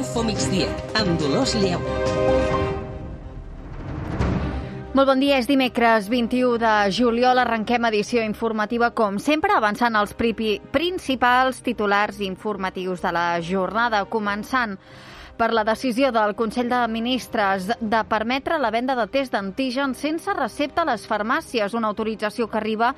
Infomigdia, amb Dolors Lleu. Molt bon dia, és dimecres 21 de juliol, arrenquem edició informativa com sempre, avançant els principals titulars informatius de la jornada, començant per la decisió del Consell de Ministres de permetre la venda de test d'antígens sense recepta a les farmàcies, una autorització que arriba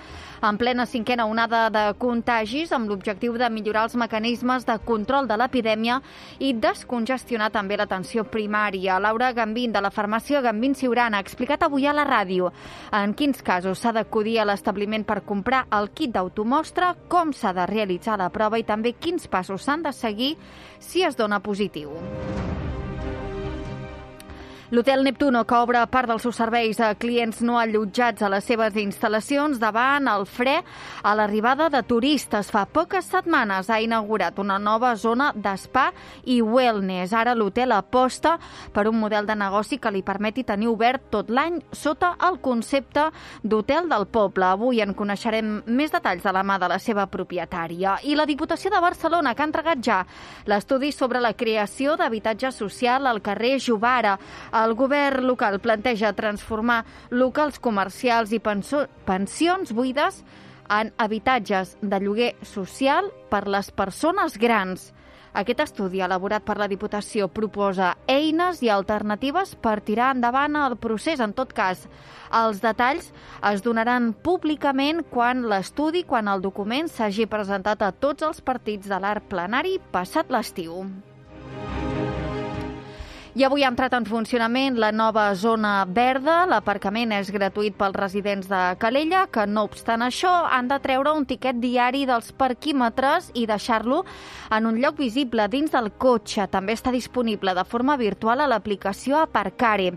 en plena cinquena onada de contagis amb l'objectiu de millorar els mecanismes de control de l'epidèmia i descongestionar també l'atenció primària. Laura Gambín, de la farmàcia Gambín Siurana, ha explicat avui a la ràdio en quins casos s'ha d'acudir a l'establiment per comprar el kit d'automostra, com s'ha de realitzar la prova i també quins passos s'han de seguir si es dona positiu. L'Hotel Neptuno, que obre part dels seus serveis a clients no allotjats a les seves instal·lacions davant el fre a l'arribada de turistes. Fa poques setmanes ha inaugurat una nova zona d'espa i wellness. Ara l'hotel aposta per un model de negoci que li permeti tenir obert tot l'any sota el concepte d'hotel del poble. Avui en coneixerem més detalls de la mà de la seva propietària. I la Diputació de Barcelona, que ha entregat ja l'estudi sobre la creació d'habitatge social al carrer Jovara. El govern local planteja transformar locals comercials i pensions buides en habitatges de lloguer social per les persones grans. Aquest estudi elaborat per la Diputació proposa eines i alternatives per tirar endavant el procés. En tot cas, els detalls es donaran públicament quan el document s'hagi presentat a tots els partits de l'art plenari passat l'estiu. I avui ha entrat en funcionament la nova zona verda. L'aparcament és gratuït pels residents de Calella, que no obstant això han de treure un tiquet diari dels parquímetres i deixar-lo en un lloc visible dins del cotxe. També està disponible de forma virtual a l'aplicació Aparcare.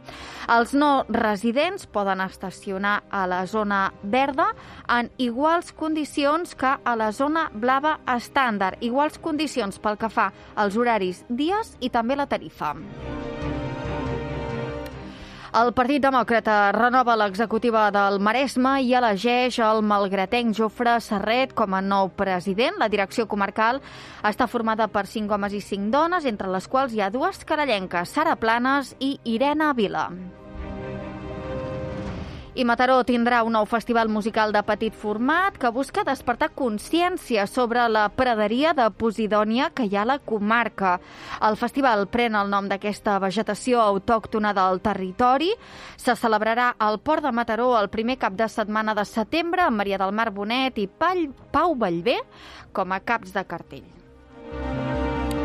Els no residents poden estacionar a la zona verda en iguals condicions que a la zona blava estàndard. Iguals condicions pel que fa als horaris, dies i també la tarifa. El Partit Demòcrata renova l'executiva del Maresme i elegeix el malgratenc Jofre Serret com a nou president. La direcció comarcal està formada per 5 homes i 5 dones, entre les quals hi ha 2 carallenques, Sara Planes i Irene Vila. I Mataró tindrà un nou festival musical de petit format que busca despertar consciència sobre la praderia de posidònia que hi ha a la comarca. El festival pren el nom d'aquesta vegetació autòctona del territori. Se celebrarà al Port de Mataró el primer cap de setmana de setembre amb Maria del Mar Bonet i Pau Vallvé com a caps de cartell.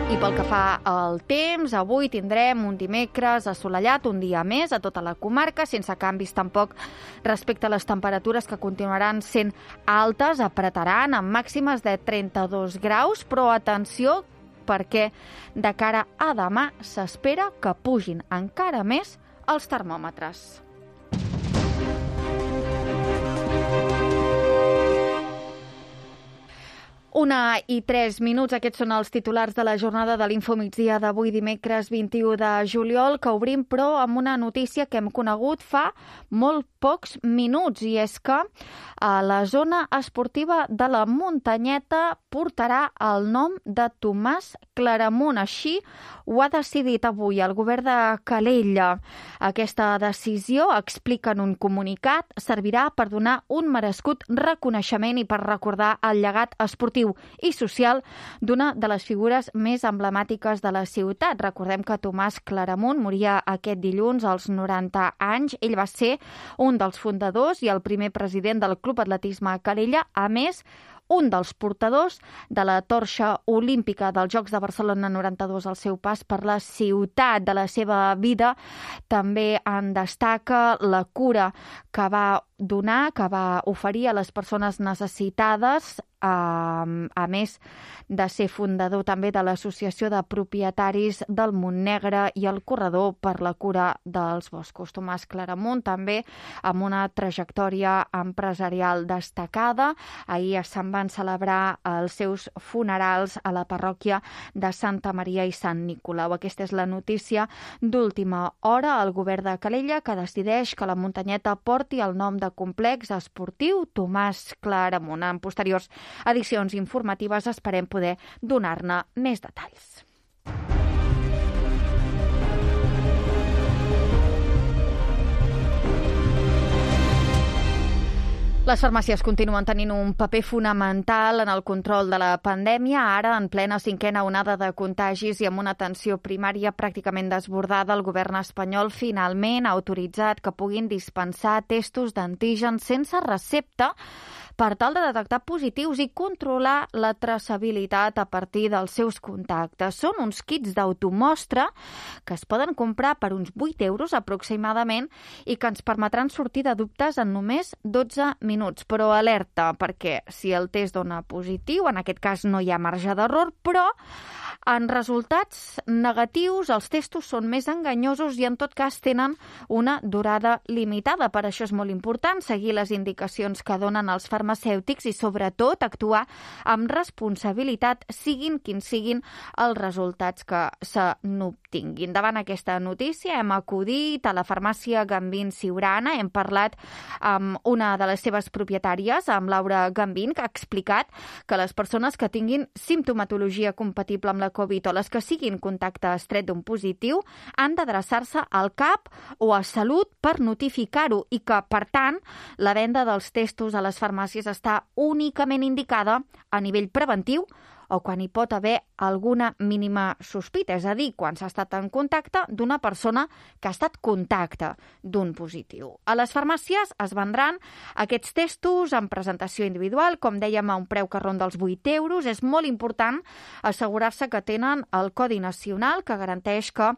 I pel que fa al temps, avui tindrem un dimecres assolellat, un dia més a tota la comarca, sense canvis tampoc respecte a les temperatures que continuaran sent altes, apretaran amb màximes de 32 graus, però atenció perquè de cara a demà s'espera que pugin encara més els termòmetres. 1:03, aquests són els titulars de la jornada de l'Infomigdia d'avui dimecres 21 de juliol, que obrim però amb una notícia que hem conegut fa molt pocs minuts, i és que la zona esportiva de la Muntanyeta portarà el nom de Tomàs Claramunt. Així ho ha decidit avui el govern de Calella. Aquesta decisió, explica en un comunicat, servirà per donar un merescut reconeixement i per recordar el llegat esportiu i social d'una de les figures més emblemàtiques de la ciutat. Recordem que Tomàs Claramunt moria aquest dilluns als 90 anys. Ell va ser un dels fundadors i el primer president del Club Atletisme Calella, a més, un dels portadors de la torxa olímpica dels Jocs de Barcelona 92 al seu pas per la ciutat. De la seva vida també en destaca la cura que va donar, que va oferir a les persones necessitades, a més de ser fundador també de l'Associació de Propietaris del Montnegre i el Corredor per la Cura dels Boscos. Tomàs Claramunt també amb una trajectòria empresarial destacada. Ahir se'n van celebrar els seus funerals a la parròquia de Santa Maria i Sant Nicolau. Aquesta és la notícia d'última hora. El govern de Calella que decideix que la Muntanyeta porti el nom de complex esportiu Tomàs Claramunt. En posteriors edicions informatives esperem poder donar-ne més detalls. Les farmàcies continuen tenint un paper fonamental en el control de la pandèmia. Ara, en plena cinquena onada de contagis i amb una atenció primària pràcticament desbordada, el govern espanyol finalment ha autoritzat que puguin dispensar testos d'antígens sense recepta per tal de detectar positius i controlar la traçabilitat a partir dels seus contactes. Són uns kits d'automostra que es poden comprar per uns 8 euros aproximadament i que ens permetran sortir de dubtes en només 12 minuts. Però alerta, perquè si el test dona positiu, en aquest cas no hi ha marge d'error, però en resultats negatius els testos són més enganyosos i en tot cas tenen una durada limitada. Per això és molt important seguir les indicacions que donen els farmacèutics i sobretot actuar amb responsabilitat, siguin quins siguin els resultats que se n'obtinguin. Davant aquesta notícia hem acudit a la farmàcia Gambín Siurana, hem parlat amb una de les seves propietàries, amb Laura Gambín, que ha explicat que les persones que tinguin simptomatologia compatible amb la Covid o les que siguin contacte estret d'un positiu han d'adreçar-se al CAP o a Salut per notificar-ho i que, per tant, la venda dels testos a les farmàcies està únicament indicada a nivell preventiu o quan hi pot haver alguna mínima sospita, és a dir, quan s'ha estat en contacte d'una persona que ha estat contacte d'un positiu. A les farmàcies es vendran aquests testos en presentació individual, com dèiem, a un preu que ronda els 8 euros. És molt important assegurar-se que tenen el Codi Nacional que garanteix que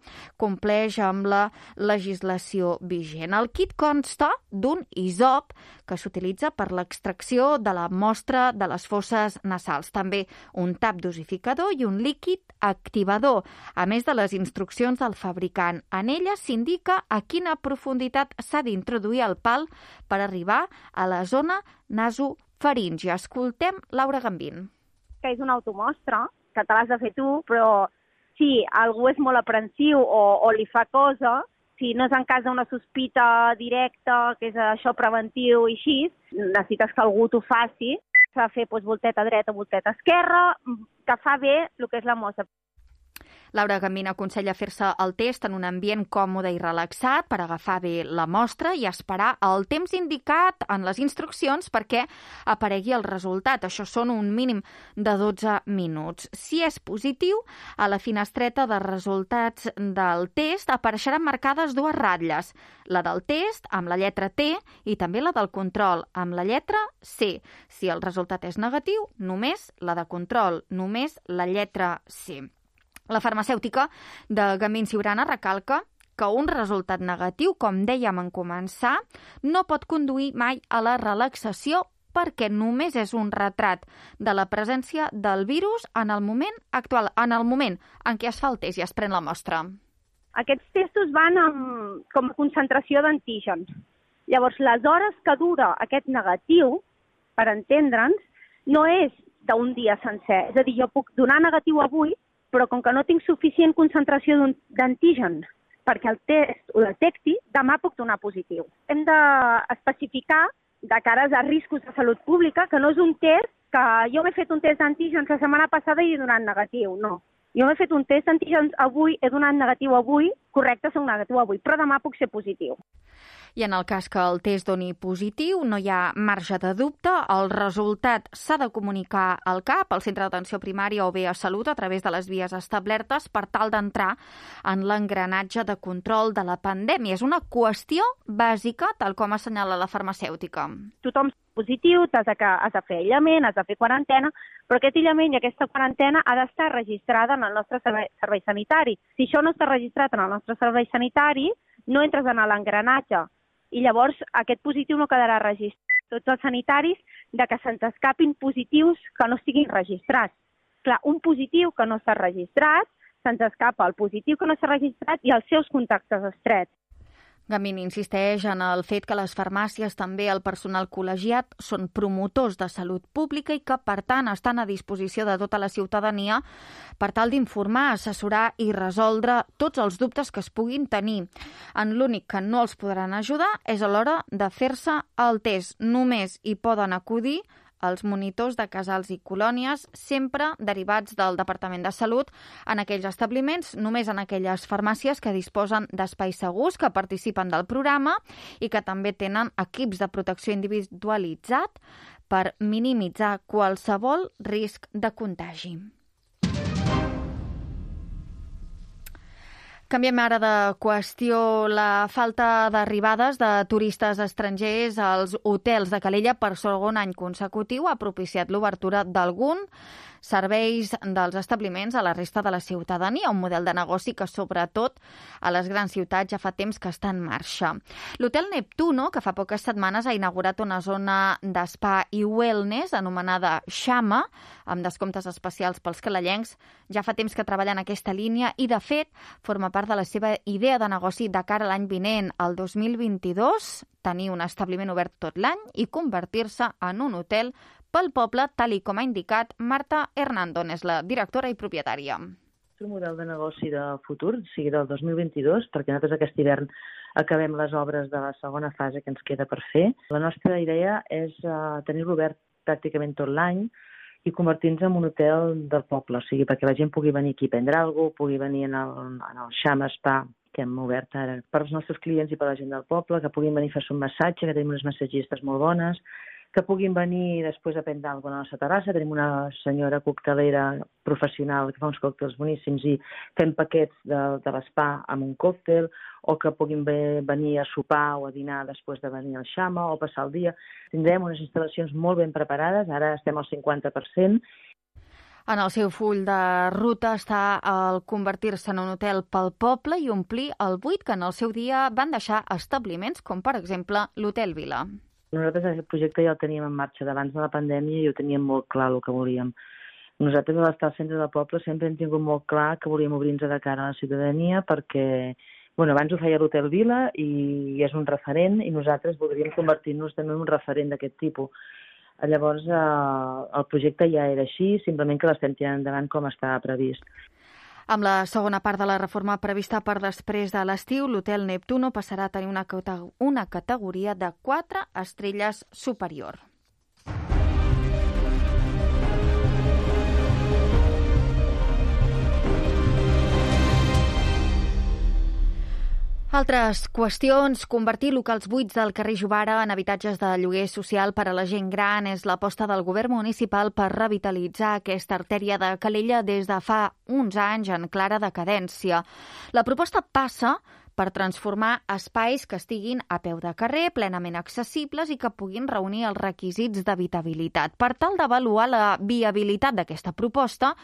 compleix amb la legislació vigent. El kit consta d'un hisop que s'utilitza per l'extracció de la mostra de les fosses nasals. També un tap dosificador i un líquid activador, a més de les instruccions del fabricant. En ella s'indica a quina profunditat s'ha d'introduir el pal per arribar a la zona nasofaríngia. Escoltem Laura Gambín. Que és una automostra, que te l'has de fer tu, però si algú és molt aprensiu o li fa cosa, si no és en cas d'una sospita directa, que és això preventiu i així, necessites que algú t'ho faci. S'ha de fer volteta dreta, volteta esquerra, que fa bé el que és la mostra. Laura Gambín aconsella fer-se el test en un ambient còmode i relaxat per agafar bé la mostra i esperar el temps indicat en les instruccions perquè aparegui el resultat. Això són un mínim de 12 minuts. Si és positiu, a la finestreta de resultats del test apareixeran marcades 2 ratlles, la del test amb la lletra T i també la del control amb la lletra C. Si el resultat és negatiu, només la de control, només la lletra C. La farmacèutica de Gambín Siurana recalca que un resultat negatiu, com dèiem en començar, no pot conduir mai a la relaxació perquè només és un retrat de la presència del virus en el moment actual, en el moment en què es fa el test i es pren la mostra. Aquests testos van com a concentració d'antígens. Llavors, les hores que dura aquest negatiu, per entendre'ns, no és d'un dia sencer. És a dir, jo puc donar negatiu avui, però com que no tinc suficient concentració d'antigen perquè el test ho detecti, demà puc donar positiu. Hem d'especificar, de cares a riscos de salut pública, que no és un test que jo m'he fet un test d'antígens la setmana passada i he donat negatiu, no. Jo m'he fet un test d'antígens avui, he donat negatiu avui, correcte, soc negatiu avui, però demà puc ser positiu. I en el cas que el test doni positiu, no hi ha marge de dubte, el resultat s'ha de comunicar al CAP, al centre d'atenció primària o bé a Salut, a través de les vies establertes per tal d'entrar en l'engranatge de control de la pandèmia. És una qüestió bàsica, tal com assenyala la farmacèutica. Tothom positiu, has de fer aïllament, has de fer quarantena, però aquest aïllament i aquesta quarantena ha d'estar registrada en el nostre servei sanitari. Si això no està registrat en el nostre servei sanitari, no entres en l'engranatge i llavors aquest positiu no quedarà registrat. Tots els sanitaris de que se'ns escapin positius que no estiguin registrats. Clar, un positiu que no està registrat, se'ns escapa el positiu que no està registrat i els seus contactes estrets. Gambín insisteix en el fet que les farmàcies, també el personal col·legiat, són promotors de salut pública i que, per tant, estan a disposició de tota la ciutadania per tal d'informar, assessorar i resoldre tots els dubtes que es puguin tenir. En l'únic que no els podran ajudar és a l'hora de fer-se el test. Només hi poden acudir els monitors de casals i colònies, sempre derivats del Departament de Salut, en aquells establiments, només en aquelles farmàcies que disposen d'espais segurs, que participen del programa i que també tenen equips de protecció individualitzat per minimitzar qualsevol risc de contagi. Canviem ara de qüestió. La falta d'arribades de turistes estrangers als hotels de Calella per segon any consecutiu ha propiciat l'obertura d'algun serveis dels establiments a la resta de la ciutadania, un model de negoci que sobretot a les grans ciutats ja fa temps que està en marxa. L'Hotel Neptuno, que fa poques setmanes ha inaugurat una zona d'espa i wellness anomenada Xama, amb descomptes especials pels calellencs, ja fa temps que treballa en aquesta línia i, de fet, forma part de la seva idea de negoci de cara a l'any vinent, el 2022, tenir un establiment obert tot l'any i convertir-se en un hotel pel poble, tal i com ha indicat Marta Hernando, és la directora i propietària. És un model de negoci de futur, o sigui, del 2022, perquè nosaltres aquest hivern acabem les obres de la segona fase que ens queda per fer. La nostra idea és tenir-lo obert pràcticament tot l'any i convertir-nos en un hotel del poble, o sigui, perquè la gent pugui venir aquí a prendre alguna cosa, pugui venir en el Xama Spa que hem obert ara per als nostres clients i per a la gent del poble, que puguin venir a fer un massatge, que tenim unes massatgistes molt bones, que puguin venir després a prendre alguna cosa a la nostra terrassa. Tenim una senyora coctelera professional que fa uns còctels boníssims i fem paquets de l'espa amb un còctel, o que puguin venir a sopar o a dinar després de venir al Xama o passar el dia. Tindrem unes instal·lacions molt ben preparades, ara estem al 50%. En el seu full de ruta està el convertir-se en un hotel pel poble i omplir el buit que en el seu dia van deixar establiments com, per exemple, l'Hotel Vila. Nosaltres aquest projecte ja el teníem en marxa d'abans de la pandèmia i ho teníem molt clar el que volíem. Nosaltres a l'estar al centre del poble sempre hem tingut molt clar que volíem obrir-nos de cara a la ciutadania perquè abans ho feia l'Hotel Vila i és un referent i nosaltres voldríem convertir-nos també en un referent d'aquest tipus. Llavors el projecte ja era així, simplement que l'estem tirant endavant com estava previst. Amb la segona part de la reforma prevista per després de l'estiu, l'Hotel Neptuno passarà a tenir una categoria de 4 estrelles superior. Altres qüestions. Convertir locals buits del carrer Jovara en habitatges de lloguer social per a la gent gran és l'aposta del govern municipal per revitalitzar aquesta artèria de Calella des de fa uns anys en clara decadència. La proposta passa per transformar espais que estiguin a peu de carrer, plenament accessibles i que puguin reunir els requisits d'habitabilitat. Per tal d'avaluar la viabilitat d'aquesta proposta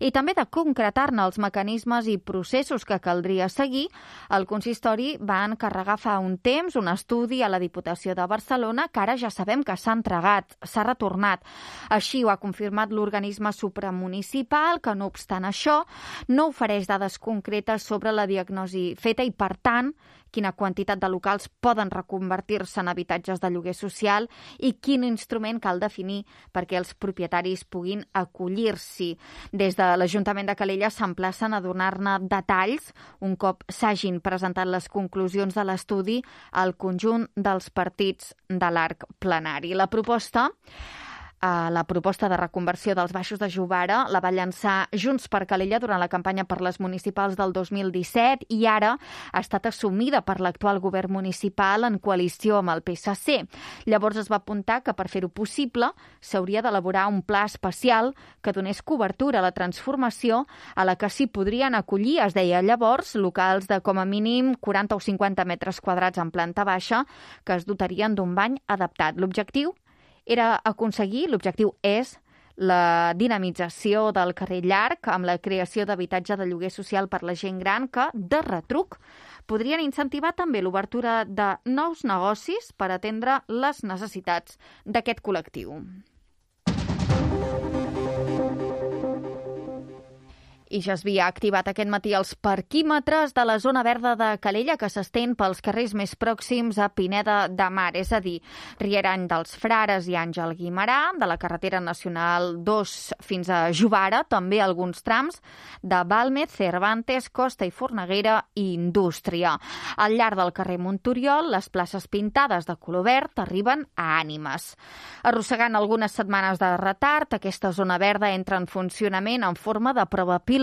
i també de concretar-ne els mecanismes i processos que caldria seguir, el consistori va encarregar fa un temps un estudi a la Diputació de Barcelona que ara ja sabem que s'ha entregat, s'ha retornat. Així ho ha confirmat l'organisme supramunicipal, que no obstant això no ofereix dades concretes sobre la diagnosi feta i, per tant, quina quantitat de locals poden reconvertir-se en habitatges de lloguer social i quin instrument cal definir perquè els propietaris puguin acollir-s'hi. Des de l'Ajuntament de Calella s'emplacen a donar-ne detalls un cop s'hagin presentat les conclusions de l'estudi al conjunt dels partits de l'arc plenari. La proposta de reconversió dels baixos de Jovara la va llançar Junts per Calella durant la campanya per les municipals del 2017 i ara ha estat assumida per l'actual govern municipal en coalició amb el PSC. Llavors es va apuntar que per fer-ho possible s'hauria d'elaborar un pla especial que donés cobertura a la transformació a la que s'hi podrien acollir, es deia llavors, locals de com a mínim 40 o 50 metres quadrats en planta baixa que es dotarien d'un bany adaptat. L'objectiu és la dinamització del carrer Llarg amb la creació d'habitatge de lloguer social per la gent gran que, de retruc, podrien incentivar també l'obertura de nous negocis per atendre les necessitats d'aquest col·lectiu. I ja s'havia activat aquest matí els parquímetres de la zona verda de Calella, que s'estén pels carrers més pròxims a Pineda de Mar, és a dir, Rierany dels Frares i Àngel Guimerà, de la carretera nacional 2 fins a Jovara, també alguns trams de Bàlmez, Cervantes, Costa i Forneguera i Indústria. Al llarg del carrer Montoriol, les places pintades de color verd arriben a Ànimes. Arrossegant algunes setmanes de retard, aquesta zona verda entra en funcionament en forma de prova pilot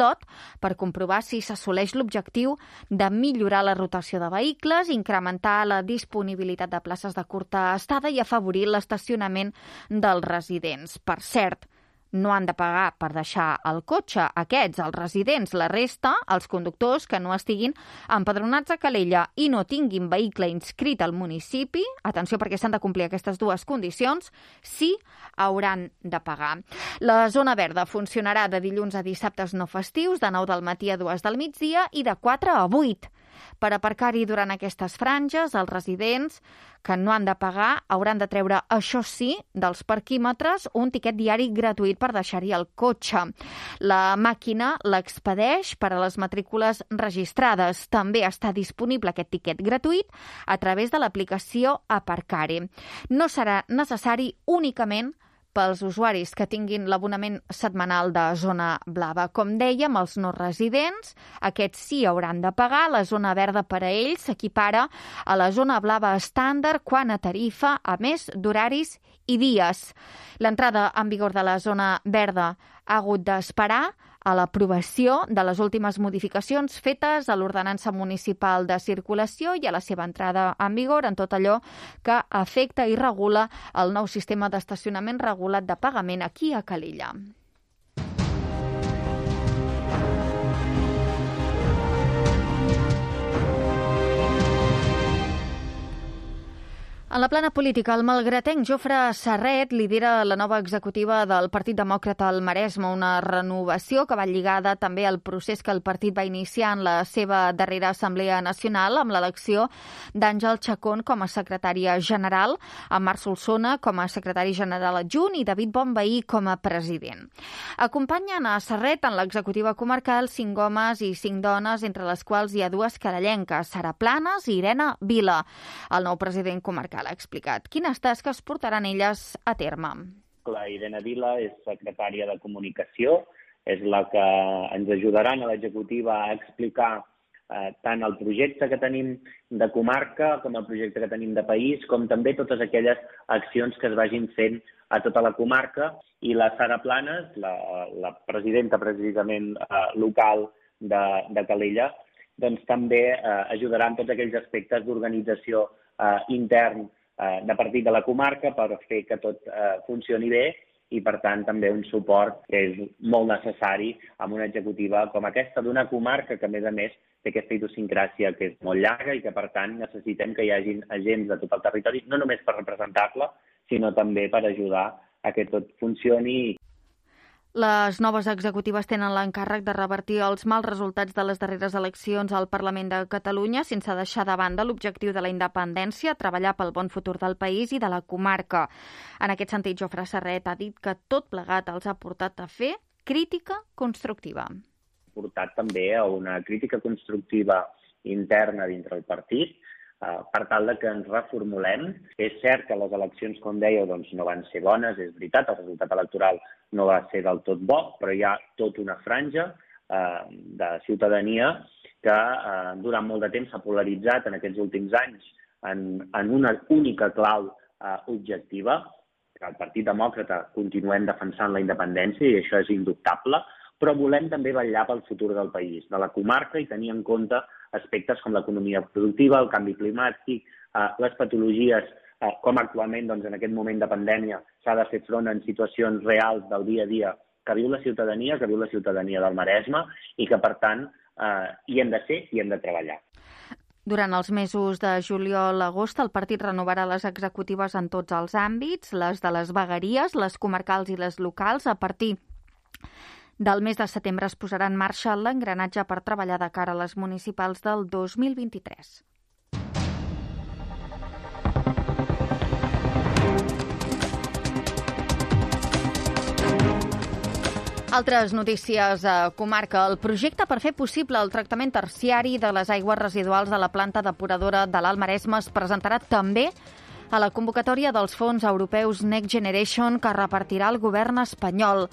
per comprovar si s'assoleix l'objectiu de millorar la rotació de vehicles, incrementar la disponibilitat de places de curta estada i afavorir l'estacionament dels residents. Per cert, no han de pagar per deixar el cotxe. Aquests, els residents, la resta, els conductors que no estiguin empadronats a Calella i no tinguin vehicle inscrit al municipi, atenció perquè s'han de complir aquestes dues condicions, sí hauran de pagar. La zona verda funcionarà de dilluns a dissabtes no festius, de 9 del matí a 2 del migdia i de 4 a 8. Per aparcar-hi durant aquestes franges, els residents que no han de pagar hauran de treure, això sí, dels parquímetres un tiquet diari gratuït per deixar-hi el cotxe. La màquina l'expedeix per a les matrícules registrades. També està disponible aquest tiquet gratuït a través de l'aplicació Aparcar-hi. No serà necessari únicament pels usuaris que tinguin l'abonament setmanal de zona blava. Com dèiem, els no residents, aquests sí hauran de pagar. La zona verda per a ells s'equipara a la zona blava estàndard quant a tarifa, a més d'horaris i dies. L'entrada en vigor de la zona verda ha hagut d'esperar a l'aprovació de les últimes modificacions fetes a l'ordenança municipal de circulació i a la seva entrada en vigor en tot allò que afecta i regula el nou sistema d'estacionament regulat de pagament aquí a Calella. En la plana política, el malgratenc Jofre Serret lidera la nova executiva del Partit Demòcrata al Maresme, una renovació que va lligada també al procés que el partit va iniciar en la seva darrera Assemblea Nacional amb l'elecció d'Àngel Chacón com a secretària general, amb Marc Solsona com a secretari general adjunt i David Bonvehí com a president. Acompanyen a Serret en l'executiva comarcal 5 homes i 5 dones, entre les quals hi ha 2 carallenques, Sara Planes i Irene Vila. El nou president comarcal ha explicat quines tasques portaran elles a terme. La Irene Vila és secretària de Comunicació, és la que ens ajudarà a l'executiva a explicar tant el projecte que tenim de comarca com el projecte que tenim de país, com també totes aquelles accions que es vagin fent a tota la comarca. I la Sara Planes, la presidenta precisament local de Calella, doncs també ajudarà en tots aquells aspectes d'organització intern de partit de la comarca per fer que tot funcioni bé i, per tant, també un suport que és molt necessari amb una executiva com aquesta d'una comarca que, a més, té aquesta idiosincràsia que és molt llarga i que, per tant, necessitem que hi hagin agents de tot el territori, no només per representar-la, sinó també per ajudar a que tot funcioni. Les noves executives tenen l'encàrrec de revertir els mals resultats de les darreres eleccions al Parlament de Catalunya sense deixar de banda l'objectiu de la independència, treballar pel bon futur del país i de la comarca. En aquest sentit, Jofre Serret ha dit que tot plegat els ha portat a fer crítica constructiva. Ha portat també a una crítica constructiva interna dintre el partit, per tal que ens reformulem. És cert que les eleccions, com dèieu, no van ser bones, és veritat, el resultat electoral no va ser del tot bo, però hi ha tota una franja de ciutadania que durant molt de temps s'ha polaritzat en aquests últims anys en una única clau objectiva, que el Partit Demòcrata continuem defensant la independència i això és indubtable, però volem també vetllar pel futur del país, de la comarca, i tenir en compte aspectes com l'economia productiva, el canvi climàtic, les patologies, com actualment en aquest moment de pandèmia s'ha de fer front en situacions reals del dia a dia que viu la ciutadania del Maresme i que, per tant, hi hem de ser i hem de treballar. Durant els mesos de juliol-agost, el partit renovarà les executives en tots els àmbits, les de les vegueries, les comarcals i les locals. A partir del mes de setembre es posarà en marxa l'engranatge per treballar de cara a les municipals del 2023. Altres notícies a comarca. El projecte per fer possible el tractament terciari de les aigües residuals de la planta depuradora de l'Alt Maresme es presentarà també a la convocatòria dels fons europeus Next Generation que repartirà el govern espanyol.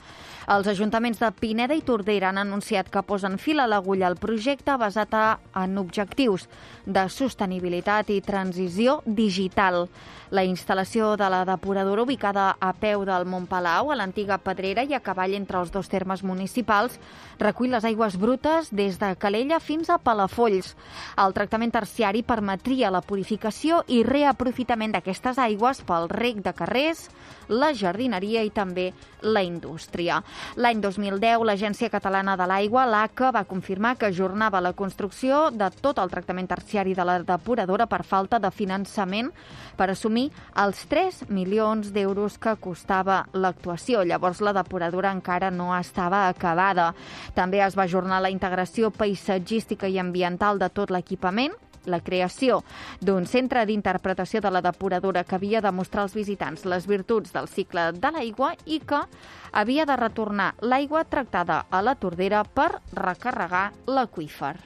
Els ajuntaments de Pineda i Tordera han anunciat que posen fil a l'agulla al projecte basat en objectius de sostenibilitat i transició digital. La instal·lació de la depuradora, ubicada a peu del Montpalau, a l'antiga Pedrera i a cavall entre els dos termes municipals, recull les aigües brutes des de Calella fins a Palafolls. El tractament terciari permetria la purificació i reaprofitament d'aquestes aigües pel reg de carrers, la jardineria i també la indústria. L'any 2010, l'Agència Catalana de l'Aigua, l'ACA, va confirmar que ajornava la construcció de tot el tractament terciari de la depuradora per falta de finançament per assumir els 3 milions d'euros que costava l'actuació. Llavors, la depuradora encara no estava acabada. També es va ajornar la integració paisatgística i ambiental de tot l'equipament, la creació d'un centre d'interpretació de la depuradora que havia de mostrar als visitants les virtuts del cicle de l'aigua i que havia de retornar l'aigua tractada a la Tordera per recarregar l'aqüífer.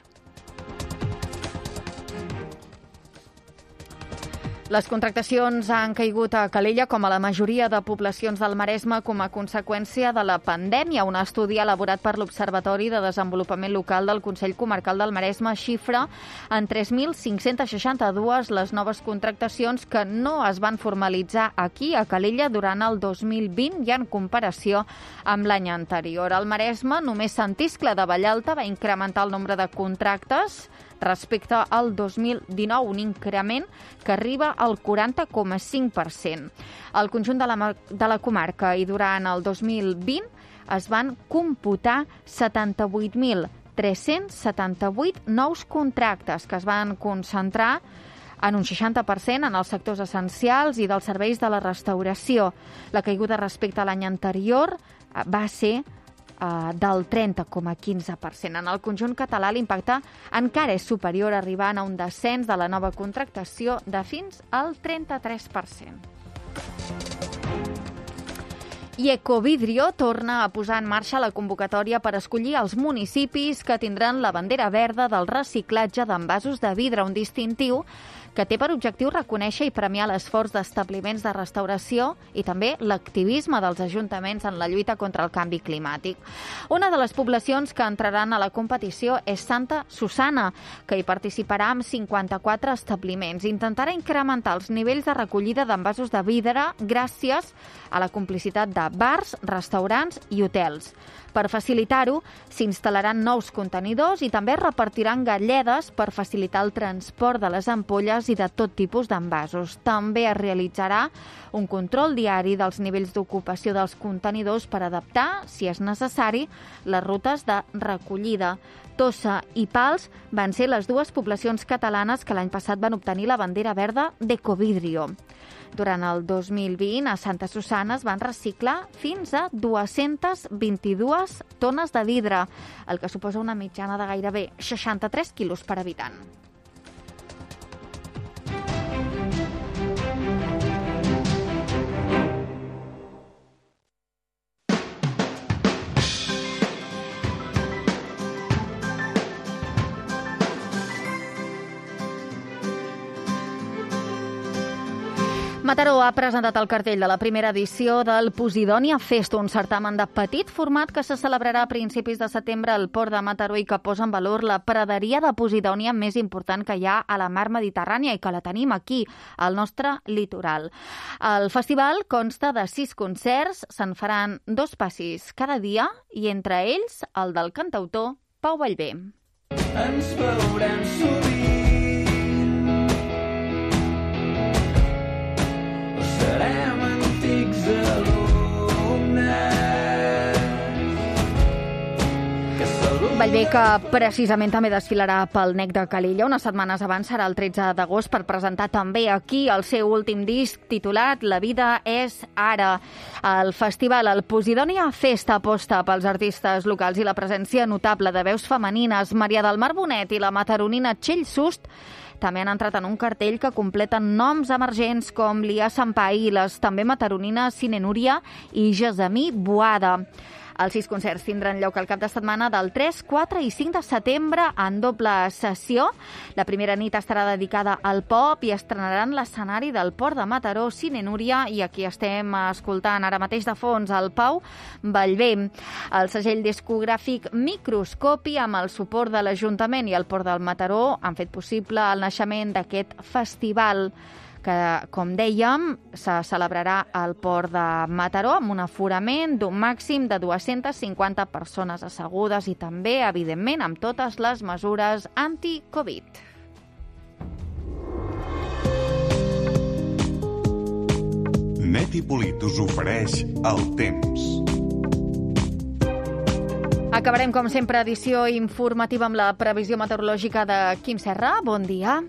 Les contractacions han caigut a Calella, com a la majoria de poblacions del Maresme, com a conseqüència de la pandèmia. Un estudi elaborat per l'Observatori de Desenvolupament Local del Consell Comarcal del Maresme xifra en 3.562 les noves contractacions que no es van formalitzar aquí, a Calella, durant el 2020 i en comparació amb l'any anterior. Al Maresme, només Sant Iscle de Vallalta va incrementar el nombre de contractes respecte al 2019, un increment que arriba al 40,5%. Al conjunt de la comarca i durant el 2020 es van computar 78.378 nous contractes que es van concentrar en un 60% en els sectors essencials i dels serveis de la restauració. La caiguda respecte a l'any anterior va ser del 30,15%. En el conjunt català l'impacte encara és superior, arribant a un descens de la nova contractació de fins al 33%. I Ecovidrio torna a posar en marxa la convocatòria per escollir els municipis que tindran la bandera verda del reciclatge d'envasos de vidre, un distintiu que té per objectiu reconèixer i premiar l'esforç d'establiments de restauració i també l'activisme dels ajuntaments en la lluita contra el canvi climàtic. Una de les poblacions que entraran a la competició és Santa Susanna, que hi participarà amb 54 establiments. Intentarà incrementar els nivells de recollida d'envasos de vidre gràcies a la complicitat de bars, restaurants i hotels. Per facilitar-ho, s'instal·laran nous contenidors i també repartiran galledes per facilitar el transport de les ampolles i de tot tipus d'envasos. També es realitzarà un control diari dels nivells d'ocupació dels contenidors per adaptar, si és necessari, les rutes de recollida. Tossa i Pals van ser les dues poblacions catalanes que l'any passat van obtenir la bandera verda d'Ecovidrio. Durant el 2020, a Santa Susanna es van reciclar fins a 222 tones de vidre, el que suposa una mitjana de gairebé 63 quilos per habitant. Mataró ha presentat el cartell de la primera edició del Posidonia Fest, un certamen de petit format que se celebrarà a principis de setembre al port de Mataró i que posa en valor la praderia de Posidònia més important que hi ha a la mar Mediterrània i que la tenim aquí, al nostre litoral. El festival consta de 6 concerts, se'n faran 2 passis cada dia i entre ells el del cantautor Pau Vallvé. Ens veurem sovint. Serem antics alumnes. Vallvé, que precisament també desfilarà pel NEC de Calella unes setmanes abans, serà el 13 d'agost, per presentar també aquí el seu últim disc titulat La vida és ara. El festival, el Posidonia Fest, aposta pels artistes locals i la presència notable de veus femenines. Maria del Mar Bonet i la mataronina Txell Sust també han entrat en un cartell que completen noms emergents com Lia Sampai i les també mataronines Cine Núria i Gesamí Boada. Els 6 concerts tindran lloc al cap de setmana del 3, 4 i 5 de setembre en doble sessió. La primera nit estarà dedicada al pop i estrenaran l'escenari del Port de Mataró, Cine Núria, i aquí estem escoltant ara mateix de fons el Pau Vallvé. El segell discogràfic Microscopi, amb el suport de l'Ajuntament i el Port del Mataró, han fet possible el naixement d'aquest festival que, com dèiem, se celebrarà al Port de Mataró amb un aforament d'un màxim de 250 persones assegudes i també, evidentment, amb totes les mesures anti-Covid. Net i Polit us ofereix el temps. Acabarem, com sempre, edició informativa amb la previsió meteorològica de Quim Serra. Bon dia.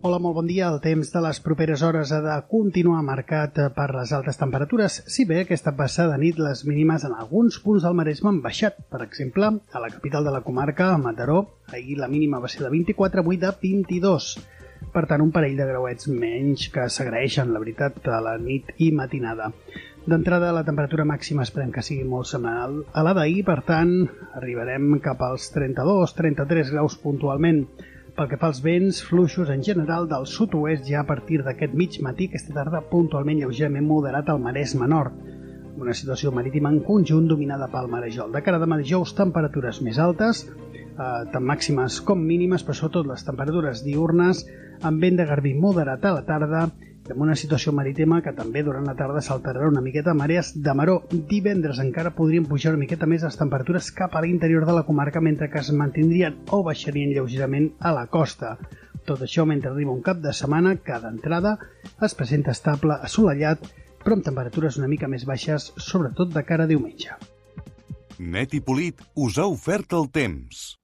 Hola, molt bon dia. El temps de les properes hores ha de continuar marcat per les altes temperatures, si bé aquesta passada nit les mínimes en alguns punts del Maresme han baixat. Per exemple, a la capital de la comarca, a Mataró, ahir la mínima va ser de 24, avui de 22. Per tant, un parell de grauets menys que s'agraeixen, la veritat, a la nit i matinada. D'entrada, la temperatura màxima esperem que sigui molt semblant a la d'ahir, per tant, arribarem cap als 32-33 graus puntualment. Pel que fa als vents, fluixos en general del sud-oest ja a partir d'aquest mig matí, aquesta tarda puntualment lleugerament moderat al Maresme Nord. Una situació marítima en conjunt dominada pel marejol. De cara a demà dijous, temperatures més altes, tant màximes com mínimes, però sobretot les temperatures diurnes, amb vent de garbí moderat a la tarda, amb una situació marítima que també durant la tarda s'alterarà una miqueta, marees de maró. Divendres encara podrien pujar una miqueta més les temperatures cap a l'interior de la comarca, mentre que es mantindrien o baixarien lleugerament a la costa. Tot això mentre arriba un cap de setmana que d'entrada es presenta estable, assolellat, però amb temperatures una mica més baixes, sobretot de cara a diumenge. Net i Polit us ha ofert el temps.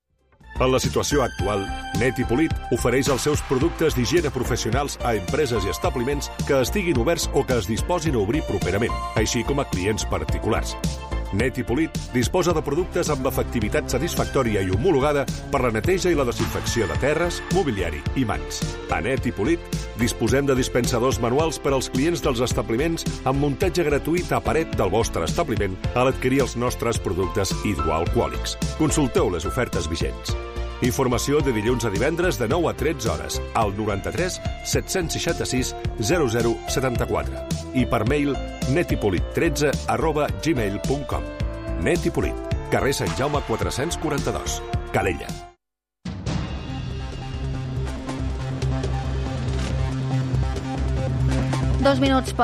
En la situació actual, Net i Polit ofereix els seus productes d'higiene professionals a empreses i establiments que estiguin oberts o que es disposin a obrir properament, així com a clients particulars. Net i Polit disposa de productes amb efectivitat satisfactòria i homologada per la neteja i la desinfecció de terres, mobiliari i mans. A Net i Polit disposem de dispensadors manuals per als clients dels establiments amb muntatge gratuït a paret del vostre establiment a l'adquirir els nostres productes hidroalcohòlics. Consulteu les ofertes vigents. Informació de dilluns a divendres de 9 a 13 hores al 93 766 0074 i per mail netipolit13@gmail.com. Net i Polit, carrer Sant Jaume 442, Calella. Dos minuts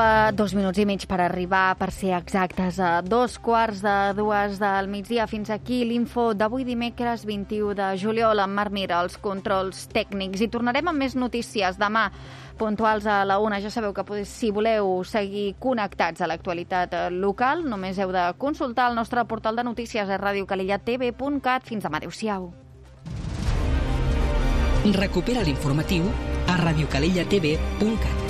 i mig per arribar, per ser exactes, a 2:15 del migdia. Fins aquí l'info d'avui dimecres 21 de juliol amb Marc Mir, els controls tècnics. I tornarem amb més notícies demà, puntuals a la 1. Ja sabeu que si voleu seguir connectats a l'actualitat local, només heu de consultar el nostre portal de notícies a radiocalellatv.cat. Fins demà, adéu-siau. Recupera l'informatiu a radiocalellatv.cat.